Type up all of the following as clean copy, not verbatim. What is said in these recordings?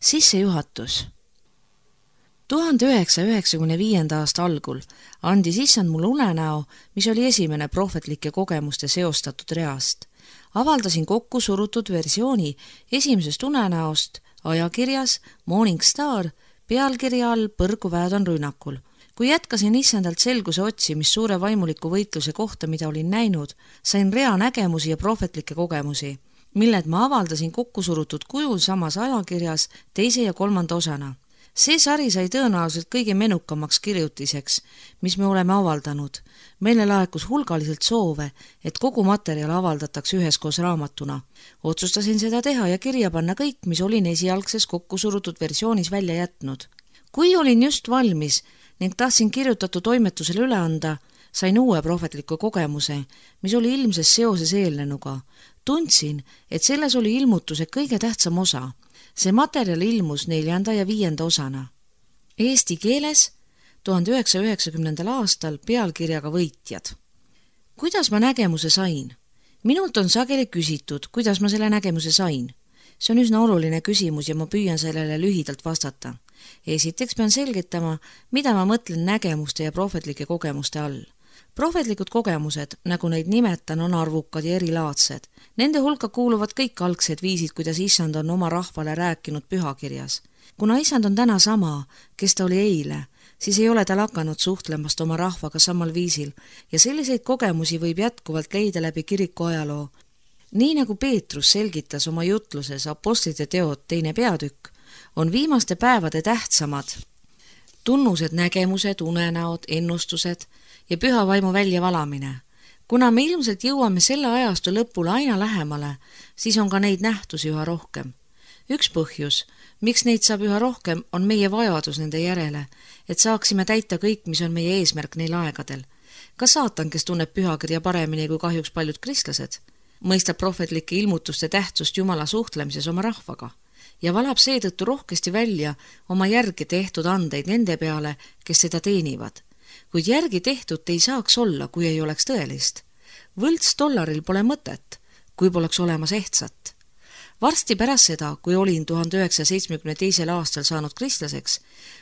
Sissejuhatus. 1995. aasta algul andis issand mulle unenäo, mis oli esimene prohvetlike kogemuste seostatud reast. Avaldasin kokku surutud versiooni esimesest unenäost ajakirjas Morning Star pealkirja all Põrguväed on rünnakul. Kui jätkasin issandalt selguse otsimist suure vaimuliku võitluse kohta, mida olin näinud, sain rea nägemusi ja prohvetlikke kogemusi, milled ma avaldasin kokkusurutud kujul samas ajakirjas teise ja kolmanda osana. See sari sai tõenäoliselt kõige menukamaks kirjutiseks, mis me oleme avaldanud. Meile laekus hulgaliselt soove, et kogu materjal avaldatakse üheskoos raamatuna. Otsustasin seda teha ja kirja panna kõik, mis olin esialgses kokkusurutud versioonis välja jätnud. Kui olin just valmis ning tahtsin kirjutatu toimetusele üle anda, sain uue prohvetliku kogemuse, mis oli ilmses seoses eelnenuga. Tundsin, et selles oli ilmutuse kõige tähtsam osa. See materjal ilmus 4. ja 5. osana. Eesti keeles 1990. aastal pealkirjaga Võitjad. Kuidas ma nägemuse sain? Minult on sageli küsitud, kuidas ma selle nägemuse sain. See on üsna oluline küsimus ja ma püüan sellele lühidalt vastata. Esiteks pean selgitama, mida ma mõtlen nägemuste ja prohvetlike kogemuste all. Prohvetlikud kogemused, nagu neid nimetan, on arvukad ja erilaadsed. Nende hulka kuuluvad kõik algsed viisid, kuidas issand on oma rahvale rääkinud pühakirjas. Kuna issand on täna sama, kes ta oli eile, siis ei ole ta lakanud suhtlemast oma rahvaga samal viisil ja selliseid kogemusi võib jätkuvalt leida läbi kiriku ajaloo. Nii nagu Peetrus selgitas oma jutluses Apostlite teod 2. peatükk, on viimaste päevade tähtsamad tunnused, nägemused, unenäod, ennustused ja püha vaimu väljavalamine. Kuna me ilmselt jõuame selle ajastu lõpule aina lähemale, siis on ka neid nähtusi üha rohkem. Üks põhjus, miks neid saab üha rohkem, on meie vajadus nende järele, et saaksime täita kõik, mis on meie eesmärk neil aegadel. Ka saatan, kes tunneb pühakirja paremini kui kahjuks paljud kristlased, mõistab prohvetlike ilmutuste tähtsust Jumala suhtlemises oma rahvaga ja valab seetõttu rohkesti välja oma järgi tehtud andeid nende peale, kes seda teenivad. Kuid järgi tehtud ei saaks olla, kui ei oleks tõelist. Võlts dollaril pole mõtet, kui poleks olemas ehtsat. Varsti pärast seda, kui olin 1972. aastal saanud kristlaseks,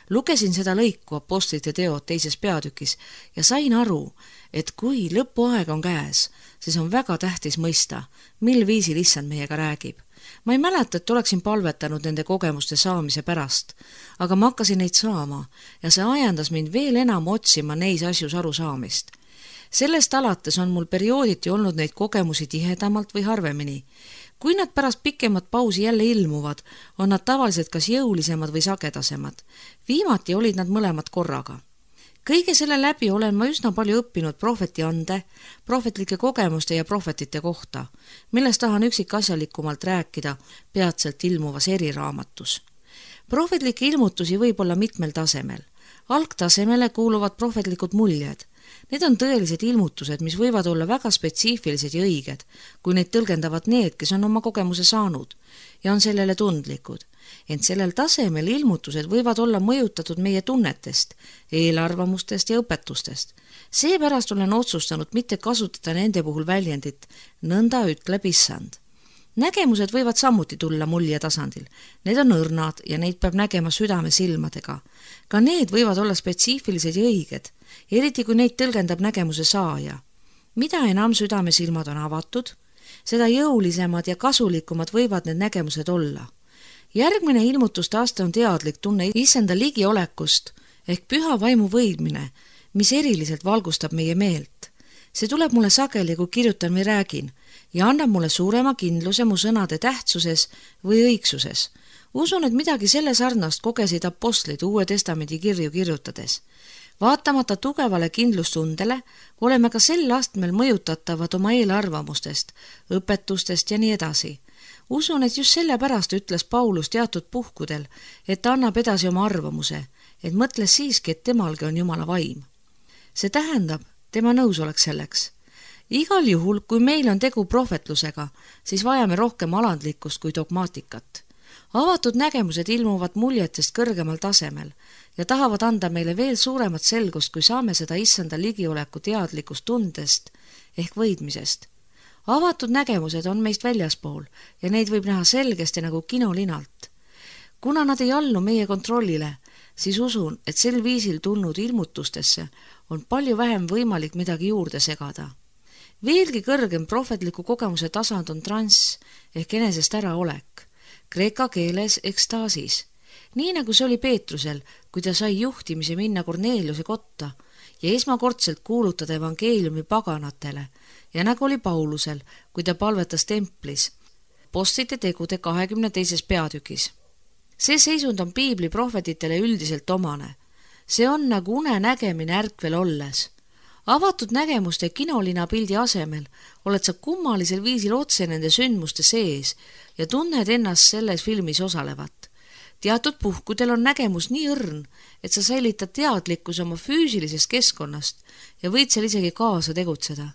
lugesin seda lõiku Apostlite teod 2. peatükis ja sain aru, et kui lõpuaeg on käes, siis on väga tähtis mõista, mil viisil issand meiega räägib. Ma ei mäleta, et oleksin palvetanud nende kogemuste saamise pärast, aga ma hakkasin neid saama ja see ajendas mind veel enam otsima neis asjus arusaamist. Sellest alates on mul periooditi olnud neid kogemusi tihedamalt või harvemini. Kui nad pärast pikemat pausi jälle ilmuvad, on nad tavaliselt kas jõulisemad või sagedasemad. Viimati olid nad mõlemad korraga. Kõige selle läbi olen ma üsna palju õppinud prohveti ande, prohvetlike kogemuste ja prohvetite kohta, millest tahan üksikasjalikumalt rääkida peatselt ilmuvas eriraamatus. Prohvetlikke ilmutusi võib olla mitmel tasemel. Algtasemele kuuluvad prohvetlikud muljed. Need on tõelised ilmutused, mis võivad olla väga spetsiifilised ja õiged, kui neid tõlgendavad need, kes on oma kogemuse saanud ja on sellele tundlikud. Ent sellel tasemel ilmutused võivad olla mõjutatud meie tunnetest, eelarvamustest ja õpetustest. Seepärast olen otsustanud mitte kasutada nende puhul väljendit nõnda ütleb issand. Nägemused võivad samuti tulla mulje tasandil. Need on õrnad ja neid peab nägema südame silmadega. Ka need võivad olla spetsiifilised ja õiged, eriti kui neid tõlgendab nägemuse saaja. Mida enam südame silmad on avatud, seda jõulisemad ja kasulikumad võivad need nägemused olla. Järgmine ilmutuste aste on teadlik tunne issanda ligiolekust ehk püha vaimu võidmine, mis eriliselt valgustab meie meelt. See tuleb mulle sageli, kui kirjutan või räägin ja annab mulle suurema kindluse mu sõnade tähtsuses või õigsuses. Usun, et midagi selle sarnast kogesid apostlid Uue Testamendi kirju kirjutades. Vaatamata tugevale kindlustundele oleme ka sel astmel mõjutatavad oma eelarvamustest, õpetustest ja nii edasi. Usun, et just sellepärast ütles Paulus teatud puhkudel, et ta annab edasi oma arvamuse, et mõtles siiski, et temalgi on Jumala vaim. See tähendab, tema nõusolek selleks. Igal juhul, kui meil on tegu prohvetlusega, siis vajame rohkem alandlikkust kui dogmaatikat. Avatud nägemused ilmuvad muljetest kõrgemal tasemel ja tahavad anda meile veel suuremat selgust, kui saame seda issanda ligioleku teadlikust tundest ehk võidmisest. Avatud nägemused on meist väljaspool ja neid võib näha selgesti nagu kinolinalt. Kuna nad ei allu meie kontrollile, siis usun, et sel viisil tulnud ilmutustesse on palju vähem võimalik midagi juurde segada. Veelgi kõrgem prohvetliku kogemuse tasand on transs ehk enesest äraolek, kreeka keeles ekstaasis. Nii nagu see oli Peetrusel, kui ta sai juhtimise minna Korneeliuse kotta ja esmakordselt kuulutada evangeeliumi paganatele ja nagu oli Paulusel, kui ta palvetas templis Apostlite tegude 22. peatükis. See seisund on piibli prohvetitele üldiselt omane. See on nagu une nägemine ärkvel olles. Avatud nägemuste kinolina pildi asemel oled sa kummalisel viisil otse nende sündmuste sees ja tunned ennast selles filmis osalevat. Teatud puhkudel on nägemus nii õrn, et sa säilitad teadlikkus oma füüsilisest keskkonnast ja võid seal isegi kaasa tegutseda.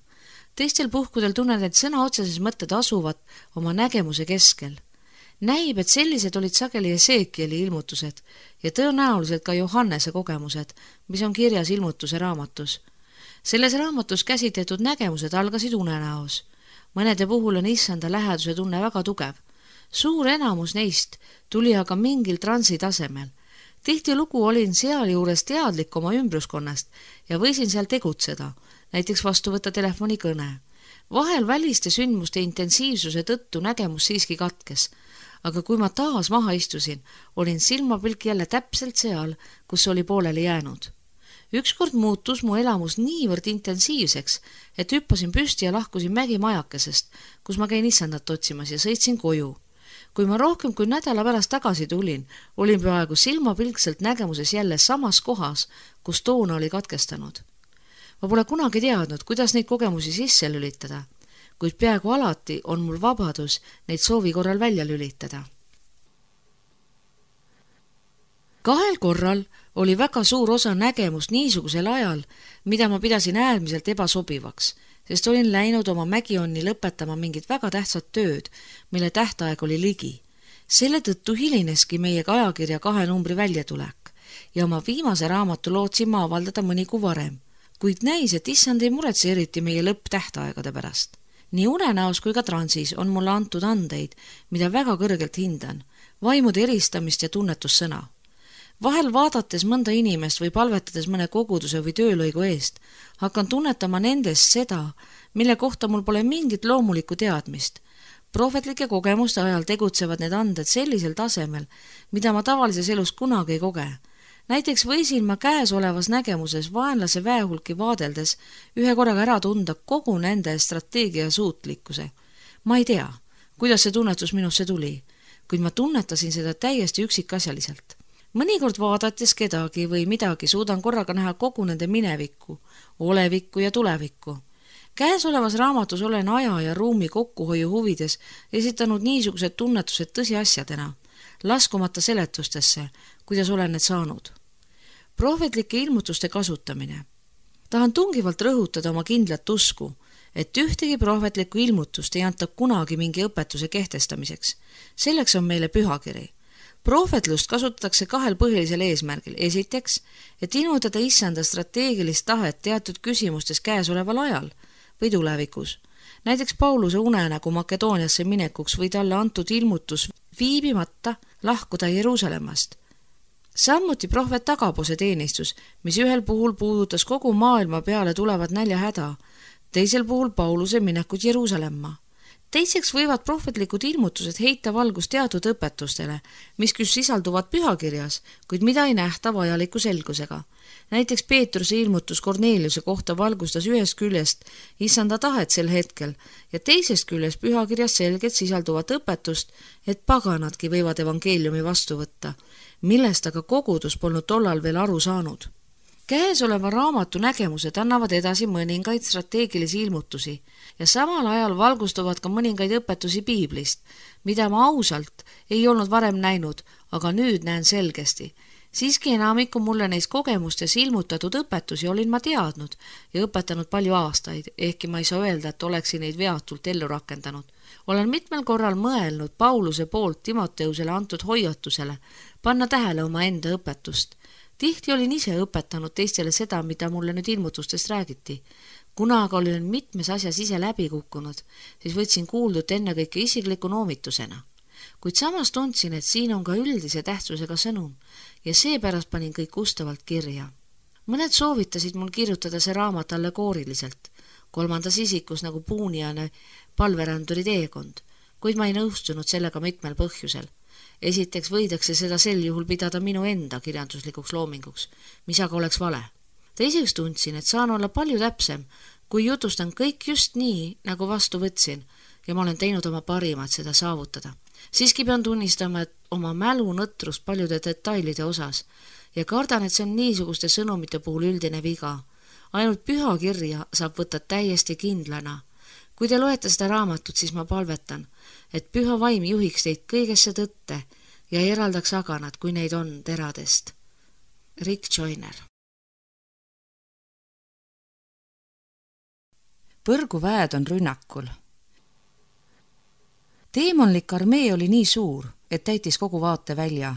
Teistel puhkudel tunned, et sõna otseses mõtted asuvad oma nägemuse keskel. Näib, et sellised olid sageli Esekieli ilmutused ja tõenäoliselt ka Johannese kogemused, mis on kirjas ilmutuse raamatus. Selles raamatus käsitletud nägemused algasid unenäos. Mõnede puhul on issanda läheduse tunne väga tugev. Suur enamus neist tuli aga mingil transi tasemel. Tihtilugu olin sealjuures teadlik oma ümbruskonnast ja võisin seal tegutseda, näiteks vastu võtta telefonikõne. Vahel väliste sündmuste intensiivsuse tõttu nägemus siiski katkes, aga kui ma taas maha istusin, olin silmapilk jälle täpselt seal, kus oli pooleli jäänud. Ükskord muutus mu elamus niivõrd intensiivseks, et hüppasin püsti ja lahkusin mägimajakesest, kus ma käin issandat otsimas ja sõitsin koju. Kui ma rohkem kui nädala pärast tagasi tulin, olin peaaegu silmapilkselt nägemuses jälle samas kohas, kus toona oli katkestanud. Ma pole kunagi teadnud, kuidas neid kogemusi sisse lülitada, kuid peaaegu alati on mul vabadus neid soovi korral välja lülitada. 2 korral oli väga suur osa nägemust niisugusel ajal, mida ma pidasin äärmiselt ebasobivaks, sest olin läinud oma mägionni lõpetama mingit väga tähtsat tööd, mille tähtaeg oli ligi. Selle tõttu hilineski meiega ajakirja 2 numbri väljatulek ja oma viimase raamatu lootsin ma avaldada mõni kuu varem, kuid näis, et issand ei muretse eriti meie lõpptähtaegade pärast. Nii unenäos kui ka transis on mulle antud andeid, mida väga kõrgelt hindan, vaimude eristamist ja tunnetussõna. Vahel vaadates mõnda inimest või palvetades mõne koguduse või töölõigu eest, hakkan tunnetama nendest seda, mille kohta mul pole mingit loomulikku teadmist. Prohvetlike kogemuste ajal tegutsevad need anded sellisel tasemel, mida ma tavalises elus kunagi ei koge. Näiteks võisin ma käesolevas nägemuses vaenlase väehulki vaadeldes ühe korraga ära tunda kogu nende strateegia suutlikkuse. Ma ei tea, kuidas see tunnetus minusse tuli, kuid ma tunnetasin seda täiesti üksikasjaliselt. Mõnikord vaadates kedagi või midagi suudan korraga näha kogu nende minevikku, olevikku ja tulevikku. Käesolevas raamatus olen aja ja ruumi kokkuhoiu huvides esitanud niisugused tunnetused tõsiasjadena, laskumata seletustesse, kuidas olen need saanud. Prohvetlike ilmutuste kasutamine. Tahan tungivalt rõhutada oma kindlat usku, et ühtegi prohvetlikku ilmutust ei anta kunagi mingi õpetuse kehtestamiseks. Selleks on meile pühakiri. Prohvetlust kasutatakse 2 põhilisel eesmärgil. Esiteks, et ilmutada issanda strateegilist tahet teatud küsimustes käesoleval ajal või tulevikus. Näiteks Pauluse unenägu Makedooniasse minekuks või talle antud ilmutus viibimata lahkuda Jeruusalemmast. Samuti prohvet Agabose teenistus, mis ühel puhul puudutas kogu maailma peale tulevat näljahäda, teisel puhul Pauluse minekut Jeruusalemma. Teiseks võivad prohvetlikud ilmutused heita valgust teatud õpetustele, mis küll sisalduvad pühakirjas, kuid mida ei nähta vajaliku selgusega. Näiteks Peetruse ilmutus Korneeliuse kohta valgustas ühest küljest issanda tahet sel hetkel ja teisest küljest pühakirjas selgelt sisalduvat õpetust, et paganadki võivad evangeeliumi vastu võtta, millest aga kogudus polnud tollal veel aru saanud. Käesoleva raamatu nägemused annavad edasi mõningaid strateegilisi ilmutusi ja samal ajal valgustuvad ka mõningaid õpetusi piiblist, mida ma ausalt ei olnud varem näinud, aga nüüd näen selgesti. Siiski enamiku mulle neis kogemustes ilmutatud õpetusi olin ma teadnud ja õpetanud palju aastaid, ehkki ma ei saa öelda, et oleksin neid veatult ellu rakendanud. Olen mitmel korral mõelnud Pauluse poolt Timoteusele antud hoiatusele panna tähele oma enda õpetust. Tihti olin ise õpetanud teistele seda, mida mulle nüüd ilmutustest räägiti. Kuna aga olin mitmes asjas ise läbi kukkunud, siis võtsin kuuldut ennekõike isikliku noomitusena. kuid samas tundsin, et siin on ka üldise tähtsusega sõnum ja seepärast panin kõik ustavalt kirja. Mõned soovitasid mul kirjutada see raamat allegooriliselt, 3. isikus nagu puuniane palveränduri teekond, kuid ma ei nõustunud sellega mitmel põhjusel. Esiteks võidakse seda sel juhul pidada minu enda kirjanduslikuks loominguks, mis aga oleks vale. Teiseks tundsin, et saan olla palju täpsem, kui jutustan kõik just nii, nagu vastu võtsin ja ma olen teinud oma parimat seda saavutada. Siiski pean tunnistama, et oma mälu nõtrust paljude detailide osas ja kardan, et see on niisuguste sõnumite puhul üldine viga. Ainult püha kirja saab võtta täiesti kindlana. Kui te loete seda raamatut, siis ma palvetan, et püha vaim juhiks teid kõigesse tõtte ja eraldaks aganad, kui neid on teradest. Rick Joyner. Põrguväed on rünnakul. Teemonlik armee oli nii suur, et täitis kogu vaatevälja.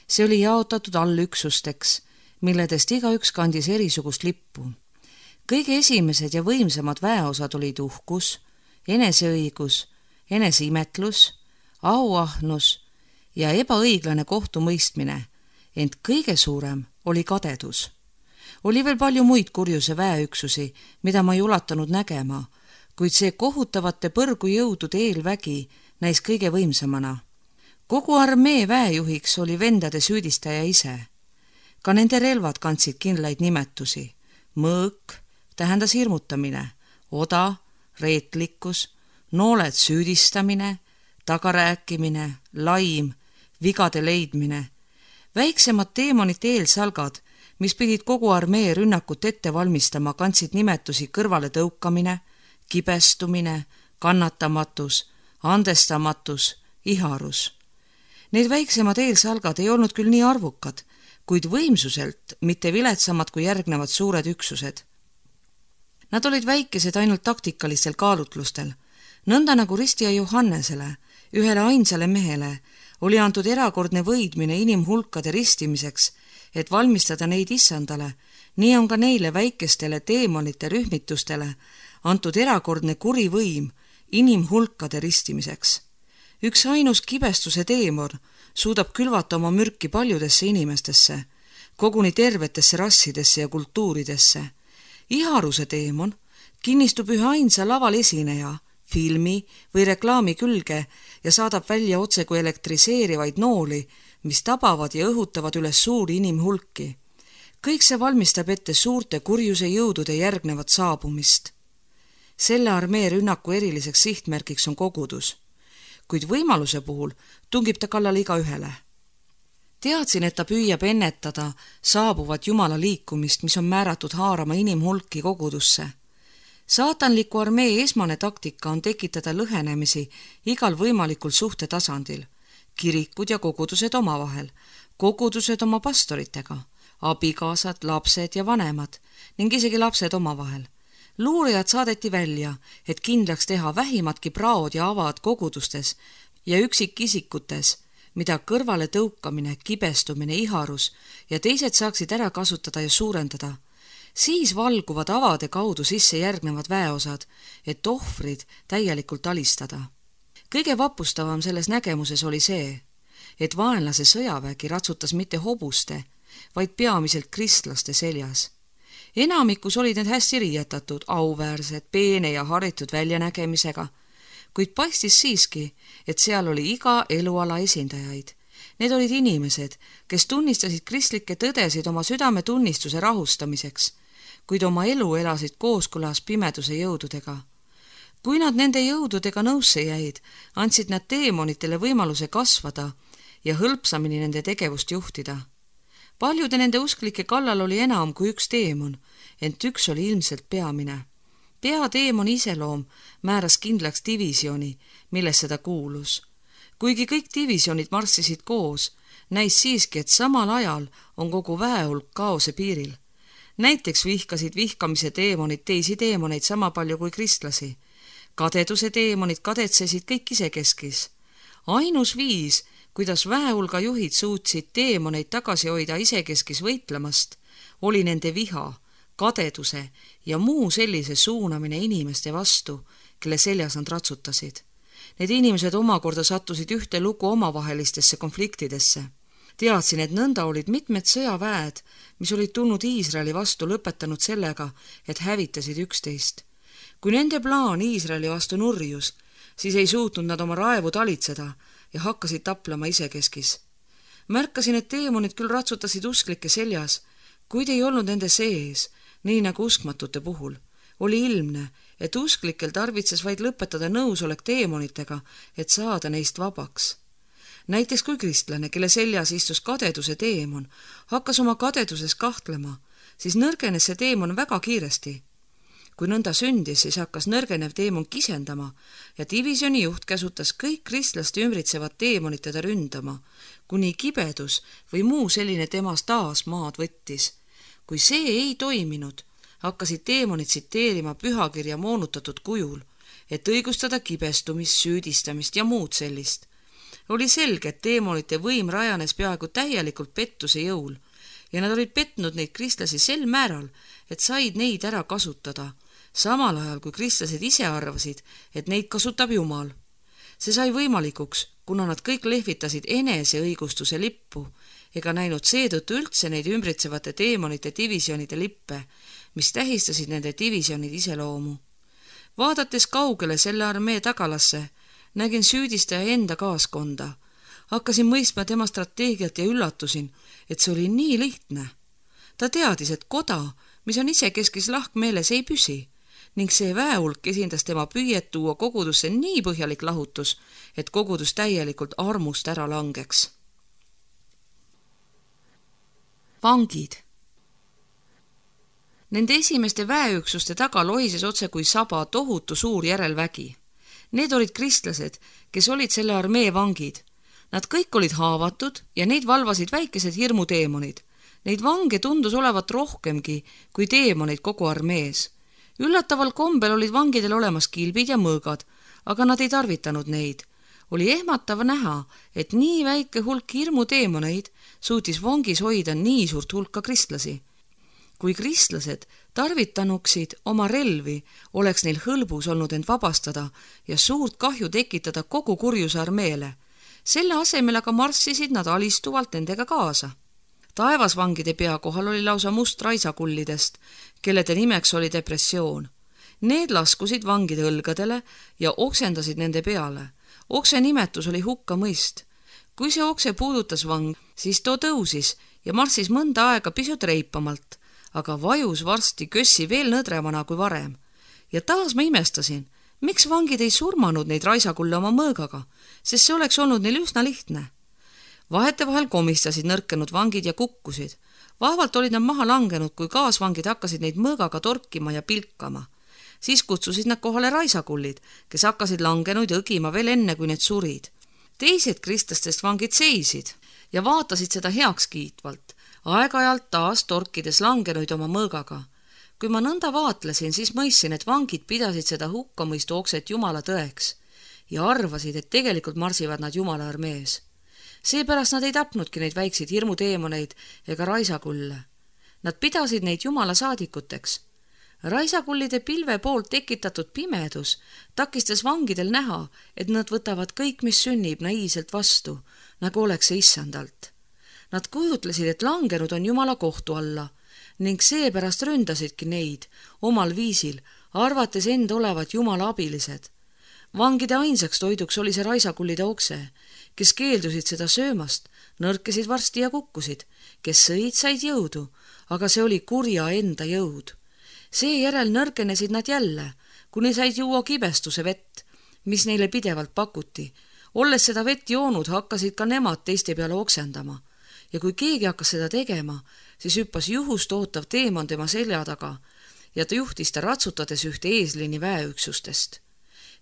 See oli jaotatud allüksusteks, milledest igaüks kandis erisugust lippu. Kõige esimesed ja võimsamad väeosad olid uhkus, eneseõigus, eneseimetlus, auahnus ja ebaõiglane kohtumõistmine, ent kõige suurem oli kadedus. Oli veel palju muid kurjuse väeüksusi, mida ma ei ulatanud nägema, kuid see kohutavate põrgujõudude eelvägi näis kõige võimsamana. Kogu armee väejuhiks oli vendade süüdistaja ise. Ka nende relvad kandsid kindlaid nimetusi. Mõõk tähendas hirmutamine, oda, reetlikkus, nooled süüdistamine, tagarääkimine, laim, vigade leidmine. Väiksemad teemonite eelsalgad, mis pidid kogu armee rünnakut ette valmistama, kandsid nimetusi kõrvale tõukamine, kibestumine, kannatamatus, andestamatus, iharus. Need väiksemad eelsalgad ei olnud küll nii arvukad, kuid võimsuselt mitte viletsamad kui järgnevad suured üksused. Nad olid väikesed ainult taktikalistel kaalutlustel. Nõnda nagu ristija Johannesele, ühele ainsale mehele, oli antud erakordne võidmine inimhulkade ristimiseks, et valmistada neid issandale, nii on ka neile väikestele teemonite rühmitustele antud erakordne kuri võim inimhulkade ristimiseks. Üks ainus kibestuse teemon suudab külvata oma mürki paljudesse inimestesse, koguni tervetesse rassidesse ja kultuuridesse. Iharuse teemon kinnistub ühe ainsa laval esineja, filmi või reklaami külge ja saadab välja otse kui elektriseerivaid nooli, mis tabavad ja õhutavad üles suuri inimhulki. Kõik see valmistab ette suurte kurjuse jõudude järgnevat saabumist. Selle armee rünnaku eriliseks sihtmärgiks on kogudus, kuid võimaluse puhul tungib ta kallale igaühele. Teadsin, et ta püüab ennetada saabuvat Jumala liikumist, mis on määratud haarama inimhulki kogudusse. Saatanliku armee esmane taktika on tekitada lõhenemisi igal võimalikul suhtetasandil. Kirikud ja kogudused omavahel, kogudused oma pastoritega, abikaasad, lapsed ja vanemad ning isegi lapsed omavahel. Luurijad saadeti välja, et kindlaks teha vähimatki praod ja avad kogudustes ja üksikisikutes, mida kõrvale tõukamine, kibestumine, iharus ja teised saaksid ära kasutada ja suurendada. Siis valguvad avade kaudu sisse järgnevad väeosad, et ohvrid täielikult alistada. Kõige vapustavam selles nägemuses oli see, et vaenlase sõjavägi ratsutas mitte hobuste, vaid peamiselt kristlaste seljas. Enamikus olid need hästi riietatud, auväärsed, peene ja haritud väljanägemisega, kuid paistis siiski, et seal oli iga eluala esindajaid. Need olid inimesed, kes tunnistasid kristlikke tõdesid oma südametunnistuse rahustamiseks, kuid oma elu elasid kooskõlas pimeduse jõududega. Kui nad nende jõududega nõusse jäid, andsid nad teemonitele võimaluse kasvada ja hõlpsamini nende tegevust juhtida. Paljude nende usklike kallal oli enam kui üks teemon, ent üks oli ilmselt peamine. Peateemoni iseloom määras kindlaks divisjoni, millesse ta kuulus. Kuigi kõik divisionid marssisid koos, näis siiski, et samal ajal on kogu väehulk kaose piiril. Näiteks vihkasid vihkamise teemonid teisi teemoneid sama palju kui kristlasi. Kadeduse teemonid kadetsesid kõik isekeskis. Ainus viis, kuidas väehulga juhid suutsid teemoneid tagasi hoida isekeskis võitlemast, oli nende viha, kadeduse ja muu sellise suunamine inimeste vastu, kelle seljas nad ratsutasid. Need inimesed omakorda sattusid ühte lugu omavahelistesse konfliktidesse. Teadsin, et nõnda olid mitmed sõjaväed, mis olid tulnud Iisraeli vastu, lõpetanud sellega, et hävitasid üksteist. Kui nende plaan Iisraeli vastu nurjus, siis ei suutnud nad oma raevu talitseda ja hakkasid taplema isekeskis. Märkasin, et teemonid küll ratsutasid usklike seljas, kuid ei olnud nende sees, nii nagu uskmatute puhul. Oli ilmne, et usklikel tarvitses vaid lõpetada nõusolek teemonitega, et saada neist vabaks. Näiteks kui kristlane, kelle seljas istus kadeduse teemon, hakkas oma kadeduses kahtlema, siis nõrgenes see teemon väga kiiresti. Kui nõnda sündis, siis hakkas nõrgenev teemon kisendama ja divisjoni juht käsutas kõik kristlaste ümbritsevad teemonid teda ründama, kuni kibedus või muu selline temas taas maad võttis. Kui see ei toiminud, hakkasid teemonid tsiteerima pühakirja moonutatud kujul, et õigustada kibestumist, süüdistamist ja muud sellist. Oli selge, et teemonite võim rajanes peaaegu täielikult pettuse jõul ja nad olid petnud neid kristlasi sel määral, et said neid ära kasutada, samal ajal kui kristlased ise arvasid, et neid kasutab Jumal. See sai võimalikuks, kuna nad kõik lehvitasid eneseõigustuse lippu ega näinud seetõttu üldse neid ümbritsevate teemonite divisjonide lippe, mis tähistasid nende divisjonide iseloomu. Vaadates kaugele selle armee tagalasse, nägin süüdistaja enda kaaskonda. Hakkasin mõistma tema strateegiat ja üllatusin, et see oli nii lihtne. Ta teadis, et koda, mis on isekeskis lahkmeeles, ei püsi ning see väehulk esindas tema püüet tuua kogudusse nii põhjalik lahutus, et kogudus täielikult armust ära langeks. Vangid. Nende esimeste väeüksuste taga lohises otse kui saba tohutu suur järelvägi. Need olid kristlased, kes olid selle armee vangid. Nad kõik olid haavatud ja neid valvasid väikesed hirmuteemonid. Neid vange tundus olevat rohkemgi kui teemoneid kogu armees. Üllataval kombel olid vangidel olemas kilbid ja mõõgad, aga nad ei tarvitanud neid. Oli ehmatav näha, et nii väike hulk hirmuteemoneid suutis vangis hoida nii suurt hulka kristlasi. Kui kristlased tarvitanuksid oma relvi, oleks neil hõlbus olnud end vabastada ja suurt kahju tekitada kogu kurjuse armeele. Selle asemel aga marssisid nad alistuvalt nendega kaasa. Taevasvangide pea kohal oli lausa must raisakullidest, kellede nimeks oli depressioon. Need laskusid vangide õlgadele ja oksendasid nende peale. Okse nimetus oli hukkamõist. Kui see okse puudutas vang, siis too tõusis ja marssis mõnda aega pisut reipamalt, aga vajus varsti kössi veel nõdremana kui varem. Ja taas ma imestasin, miks vangid ei surmanud neid raisakulle oma mõõgaga, sest see oleks olnud neil üsna lihtne. Vahetevahel komistasid nõrkenud vangid ja kukkusid. Vaevalt olid nad maha langenud, kui kaasvangid hakkasid neid mõõgaga torkima ja pilkama. Siis kutsusid nad kohale raisakullid, kes hakkasid langenuid õgima veel enne, kui need surid. Teised kristlastest vangid seisid ja vaatasid seda heakskiitvalt, aeg-ajalt taas torkides langenuid oma mõõgaga. Kui ma nõnda vaatlesin, siis mõistsin, et vangid pidasid seda hukkamõistu okset Jumala tõeks ja arvasid, et tegelikult marsivad nad Jumala armees. Seepärast nad ei tapnudki neid väikseid hirmuteemoneid ega raisakulle. Nad pidasid neid Jumala saadikuteks. Raisakullide pilve poolt tekitatud pimedus takistas vangidel näha, et nad võtavad kõik, mis sünnib, naiivselt vastu, nagu oleks see issandalt. Nad kujutlesid, et langenud on Jumala kohtu alla ning seepärast ründasidki neid omal viisil, arvates end olevat Jumala abilised. Vangide ainsaks toiduks oli see raisakullide okse, kes keeldusid seda söömast, nõrkesid varsti ja kukkusid, kes sõid, said jõudu, aga see oli kurja enda jõud. Seejärel nõrgenesid nad jälle, kuni said juua kibestuse vett, mis neile pidevalt pakuti. Olles seda vett joonud, hakkasid ka nemad teiste peale oksendama. Ja kui keegi hakkas seda tegema, siis hüppas juhust ootav teemon tema selja taga ja ta juhtis ta ratsutades ühte eeslini väeüksustest.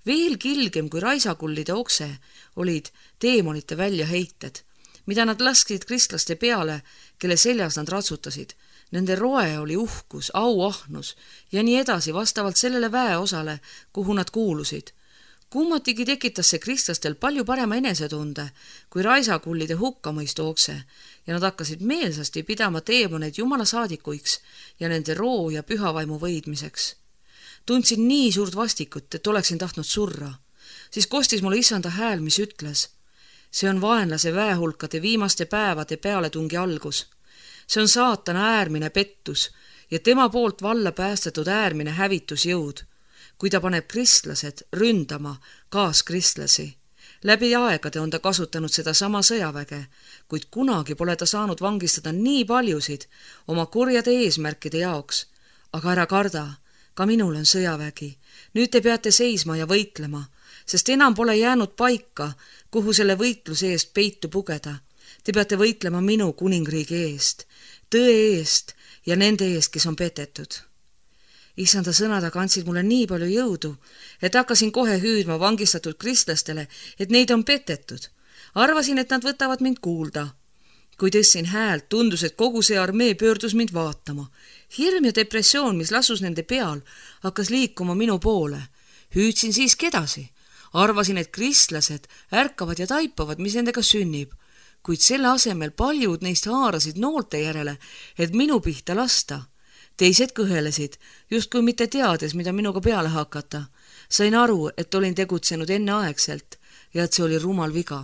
Veel kilgem kui raisakullide okse olid teemonite väljaheited, mida nad lasksid kristlaste peale, kelle seljas nad ratsutasid. Nende roe oli uhkus, auahnus ja nii edasi vastavalt sellele väeosale, kuhu nad kuulusid. Kummatigi tekitas see kristlastel palju parema enesetunde kui raisakullide hukkamõistu okse ja nad hakkasid meelsasti pidama teemoneid Jumala saadikuiks ja nende roo ja pühavaimu võidmiseks. Tundsin nii suurt vastikut, et oleksin tahtnud surra. siis kostis mulle issanda hääl, mis ütles: see on vaenlase väehulkade viimaste päevade pealetungi algus. See on saatana äärmine pettus ja tema poolt valla päästetud äärmine hävitusjõud, kui ta paneb kristlased ründama kaaskristlasi. Läbi aegade on ta kasutanud seda sama sõjaväge, kuid kunagi pole ta saanud vangistada nii paljusid oma kurjade eesmärkide jaoks. Aga ära karda, ka minul on sõjavägi. Nüüd te peate seisma ja võitlema, sest enam pole jäänud paika, kuhu selle võitluse eest peitu pugeda. Te peate võitlema minu kuningriigi eest, tõe eest ja nende eest, kes on petetud. Issanda sõnad aga andsid mulle nii palju jõudu, et hakkasin kohe hüüdma vangistatud kristlastele, et neid on petetud. Arvasin, et nad võtavad mind kuulda. Kui tõstsin häält, tundus, et kogu see armee pöördus mind vaatama. Hirm ja depressioon, mis lasus nende peal, hakkas liikuma minu poole. Hüüdsin siiski edasi. Arvasin, et kristlased ärkavad ja taipavad, mis nendega sünnib. Kuid selle asemel paljud neist haarasid noolte järele, et minu pihta lasta. Teised kõhelesid, justkui mitte teades, mida minuga peale hakata. Sain aru, et olin tegutsenud enneaegselt ja et see oli rumal viga.